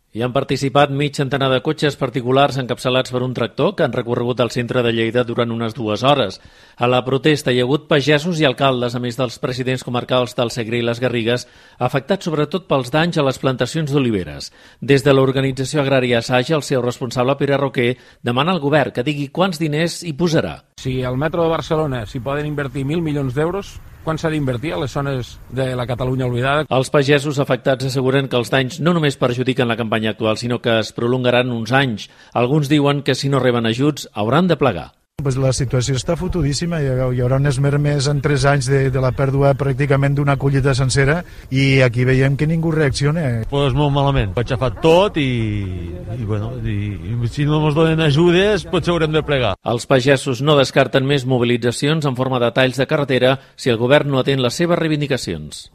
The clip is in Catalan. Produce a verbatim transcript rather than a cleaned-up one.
Hi han participat mig centenar de cotxes particulars encapçalats per un tractor que han recorregut el centre de Lleida durant unes dues hores. A la protesta hi ha hagut pagesos i alcaldes, a més dels presidents comarcals del Segre i les Garrigues, afectats sobretot pels danys a les plantacions d'oliveres. Des de l'organització agrària Saja, el seu responsable, Pere Roquer, demana al govern que digui quants diners hi posarà. Si al metro de Barcelona s'hi poden invertir mil milions d'euros, quan s'ha d'invertir a les zones de la Catalunya oblidada? Els pagesos afectats asseguren que els danys no només perjudiquen la campanya actual, sinó que es prolongaran uns anys. Alguns diuen que si no reben ajuts hauran de plegar. Pues la situació està fotudíssima, hi haurà unes mermes en tres anys de, de la pèrdua pràcticament d'una collita sencera i aquí veiem que ningú reacciona. Pues molt malament, ho ha xafat tot i, i, bueno, i, i si no ens donen ajudes potser haurem de plegar. Els pagesos no descarten més mobilitzacions en forma de talls de carretera si el govern no atén les seves reivindicacions.